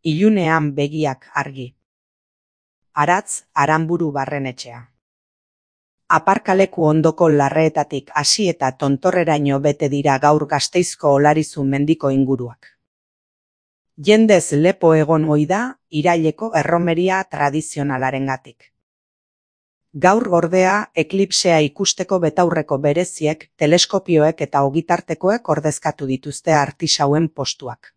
Ilunean begiak argi. Aratz Aranburu Barrenetxea. Aparkaleku ondoko larreetatik hasi eta tontorreraino bete dira gaur Gasteizko Olarizu mendiko inguruak. Jendez lepo egon ohi da iraileko erromeria tradizionalarengatik. Gaur ordea eklipsea ikusteko betaurreko bereziek, teleskopioek eta ogitartekoek ordezkatu dituzte artisauen postuak.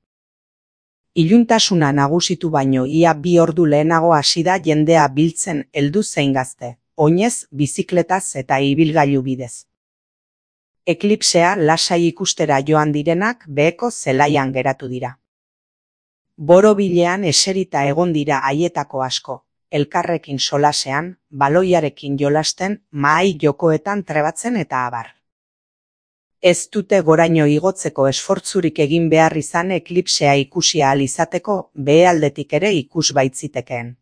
Iluntasuna nagusitu baino ia 2 ordu lehenago hasi da jendea biltzen heldu zein gazte, oinez, bizikletaz eta ibilgailu bidez. Eklipsea lasai ikustera joan direnak beheko zelaian geratu dira. Borobilean eserita egon dira haietako asko, elkarrekin solasean, baloiarekin jolasten, mahai jokoetan trebatzen eta abar. Ez dute goraino igotzeko esfortzurik egin behar izan eklipsea ikusi ahal izateko behealdetik ere ikus baitzitekeen.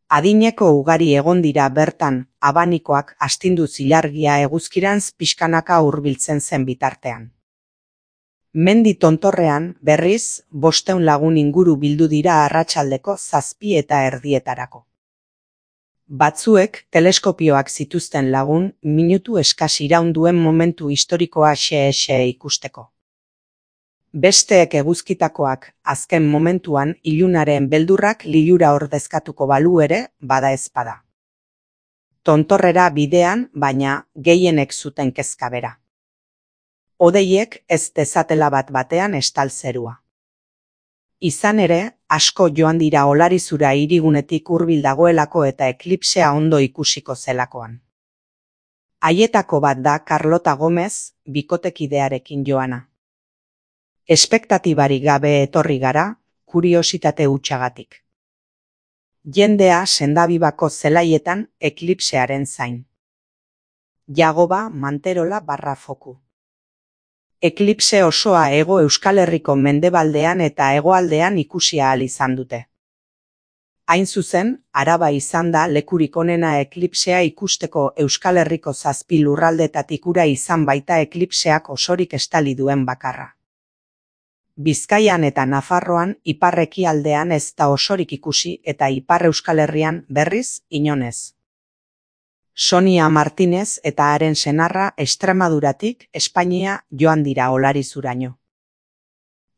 Adineko ugari egon dira bertan, abanikoak astinduz ilargia eguzkirantz pixkanaka hurbiltzen zen bitartean. Mendi tontorrean, berriz, 500 lagun inguru bildu dira arratsaldeko 7:30. Batzuek teleskopioak zituzten lagun minutu eskas iraun duen momentu historikoa xe ikusteko. Besteek eguzkitakoak azken momentuan ilunaren beldurrak lilura ordezkatuko balu ere bada ezpada. Tontorrera bidean, baina gehienek zuten kezka bera. Hodeiek ez dezatela bat-batean estal zerua. Izan ere, asko joan dira Olarizura hirigunetik hurbil dagoelako eta eklipsea ondo ikusiko zelakoan. Haietako bat da Carlota Gomez, bikotekidearekin joana. Espektatibari gabe etorri gara, kuriositate hutsagatik. Jendea Sendabibako zelaietan eklipsearen zain. Jagoba Manterola /Foku. Eklipse osoa Hego Euskal Herriko mendebaldean eta hegoaldean ikusi ahal izan dute. Hain zuzen, Araba izan da lekurik onena eklipsea ikusteko Euskal Herriko 7 lurraldetatik ura izan baita eklipseak osorik estali duen bakarra. Bizkaian eta Nafarroan ipar-ekialdean ez da osorik ikusi eta Ipar Euskal Herrian berriz inonez. Sonia Martinez eta haren senarra Extremaduratik Espainia joan dira Olarizuraino.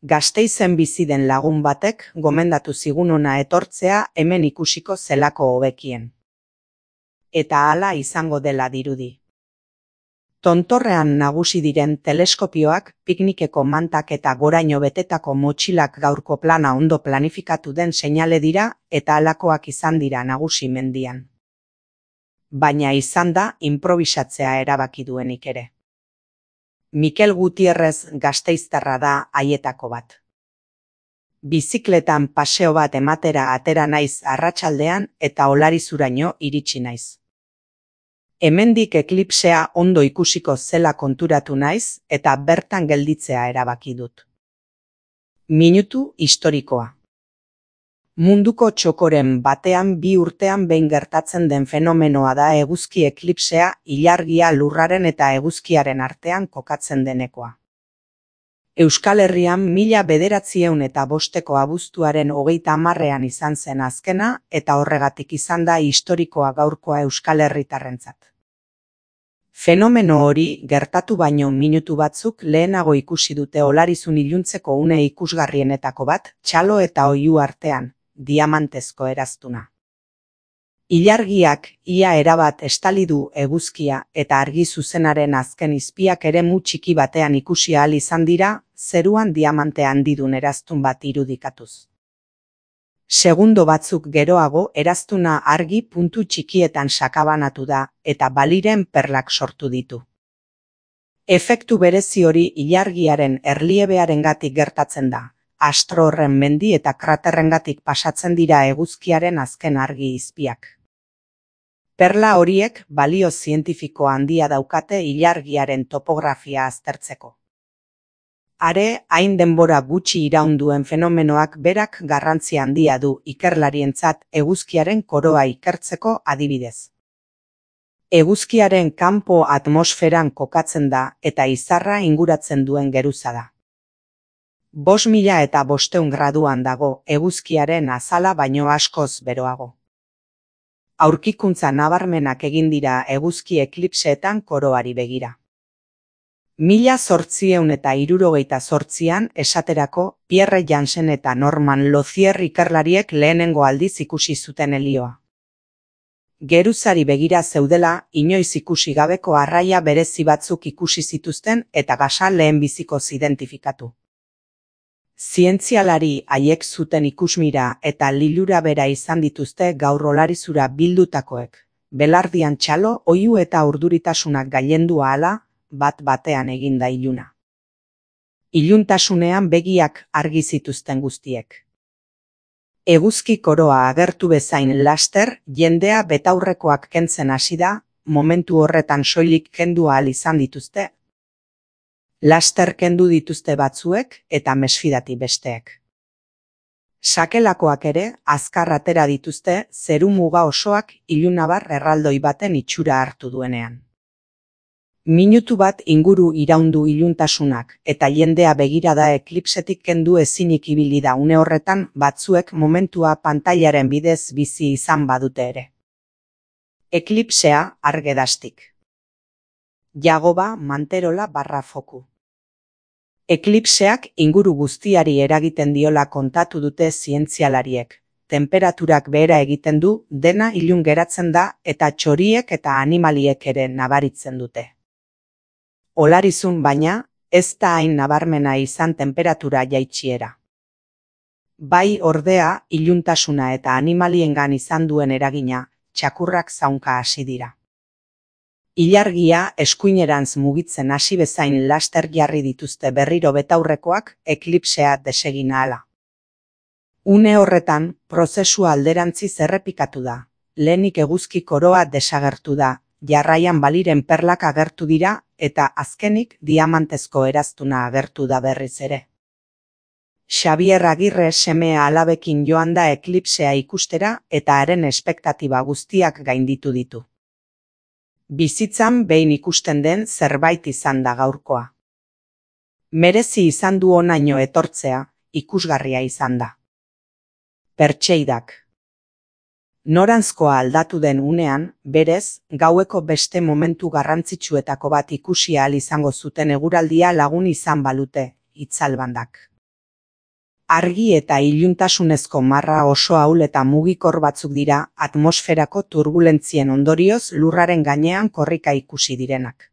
Gasteizen bizi den lagun batek gomendatu zigun hona etortzea hemen ikusiko zelako hobekien. Eta hala izango dela dirudi. Tontorrean nagusi diren teleskopioak, piknikeko mantak eta goraino betetako motxilak gaurko plana ondo planifikatu den seinale dira eta halakoak izan dira nagusi mendian. Baina izan da improbisatzea erabaki duenik ere. Mikel Gutierrez gasteiztarra da haietako bat. Bizikletan paseo bat ematera atera naiz arratsaldean eta Olarizuraino iritsi naiz. Hemendik eklipsea ondo ikusiko zela konturatu naiz eta bertan gelditzea erabaki dut. Minutu historikoa. Munduko txokoren batean 2 urtean behin gertatzen den fenomenoa da eguzki eklipsea ilargia lurraren eta eguzkiaren artean kokatzen denekoa. Euskal Herrian 1905 abuztuaren 30 izan zen azkena eta horregatik izan da historikoa gaurkoa Euskal Herritarrentzat. Fenomeno hori gertatu baino minutu batzuk lehenago ikusi dute Olarizun iluntzeko une ikusgarrienetako bat, txalo eta oihu artean, diamantezko eraztuna. Ilargiak ia erabat estali du eguzkia eta argi zuzenaren azken izpiak eremu txiki batean ikusi ahal izan dira, zeruan diamante handidun eraztun bat irudikatuz. Segundo batzuk geroago eraztuna argi puntu txikietan sakabanatu da eta baliren perlak sortu ditu. Efektu berezi hori ilargiaren erliebearengatik gertatzen da. Astro horren mendi eta kraterrengatik pasatzen dira eguzkiaren azken argi izpiak. Perla horiek balio zientifiko handia daukate ilargiaren topografia aztertzeko. Are, hain denbora gutxi iraun duen fenomenoak berak garrantzi handia du ikerlarientzat eguzkiaren koroa ikertzeko adibidez. Eguzkiaren kanpo atmosferan kokatzen da eta izarra inguratzen duen geruza da. 5.500 graduan dago, eguzkiaren azala baino askoz beroago. Aurkikuntza nabarmenak egin dira eguzki eklipseetan koroari begira. 1878an esaterako Pierre Jansen eta Norman Lozier ikerlariek lehenengo aldiz ikusi zuten helioa. Geruzari begira zeudela, inoiz ikusi gabeko arraia berezi batzuk ikusi zituzten eta gasa lehenbizikoz identifikatu. Zientzialari haiek zuten ikusmira eta lilura bera izan dituzte gaur olarizura bildutakoek, belardian txalo, oihu eta urduritasunak gailendu ahala, bat-batean eginda iluna. Iluntasunean begiak argi zituzten guztiek. Eguzki koroa agertu bezain laster, jendea betaurrekoak kentzen hasi da, momentu horretan soilik kendu ahal izan dituzte. Laster kendu dituzte batzuek eta mesfidati besteek. Sakelakoak ere azkar atera dituzte zeru muga osoak ilunabar erraldoi baten itxura hartu duenean. Minutu bat inguru iraundu iluntasunak eta jendea begirada eklipsetik kendu ezinik ibili da une horretan batzuek momentua pantailaren bidez bizi izan badute ere. Eklipsea argedastik. Jagoba Manterola/Foku. Eklipseak inguru guztiari eragiten diola kontatu dute zientzialariek. Tenperaturak behera egiten du, dena ilun geratzen da eta txoriek eta animaliek ere nabaritzen dute. Olarizun baina, ez da hain nabarmena izan tenperatura jaitsiera. Bai ordea, iluntasuna eta animaliengan izan duen eragina, txakurrak zaunka hasi dira. Ilargia eskuinerantz mugitzen hasi bezain laster jarri dituzte berriro betaurrekoak eklipsea desegin ahala. Une horretan, prozesua alderantziz errepikatu da. Lehenik eguzki koroa desagertu da, jarraian baliren perlak agertu dira eta azkenik diamantezko eraztuna agertu da berriz ere. Xabier Agirre semea alabekin joan da eklipsea ikustera eta haren espektatiba guztiak gainditu ditu. Bizitzan behin ikusten den zerbait izan da gaurkoa. Merezi izan du honaino etortzea, ikusgarria izan da. Pertseidak. Noranzkoa aldatu den unean, berez, gaueko beste momentu garrantzitsuetako bat ikusi ahal izango zuten eguraldia lagun izan balute, itzalbandak. Argi eta iluntasunezko marra oso ahul eta mugikor batzuk dira atmosferako turbulentzien ondorioz lurraren gainean korrika ikusi direnak.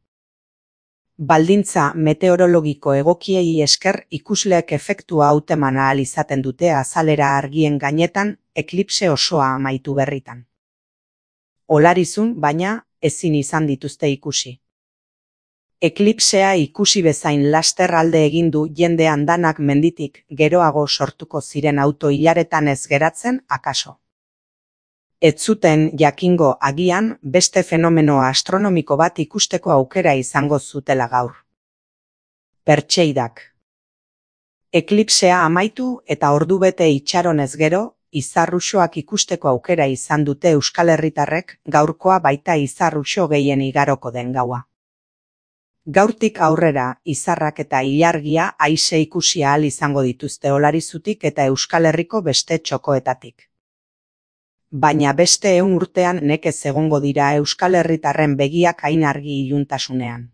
Baldintza meteorologiko egokiei esker ikusleek efektua hauteman ahal izaten dute azalera argien gainetan eklipse osoa amaitu berritan. Olarizun, baina, ezin izan dituzte ikusi. Eklipsea ikusi bezain laster alde egin du jende andanak menditik geroago sortuko ziren auto-ilaretan ez geratzen akaso. Ez zuten jakingo agian beste fenomeno astronomiko bat ikusteko aukera izango zutela gaur. Pertseidak. Eklipsea amaitu eta ordubete itxaronez gero, izarruxoak ikusteko aukera izan dute Euskal Herritarrek gaurkoa baita izarruxo gehien igaroko den gaua. Gaurtik aurrera, izarrak eta ilargia aise ikusi ahal izango dituzte Olarizutik eta Euskal Herriko beste txokoetatik. Baina beste 100 urtean nekez egongo dira Euskal Herritarren begiak hain argi iluntasunean.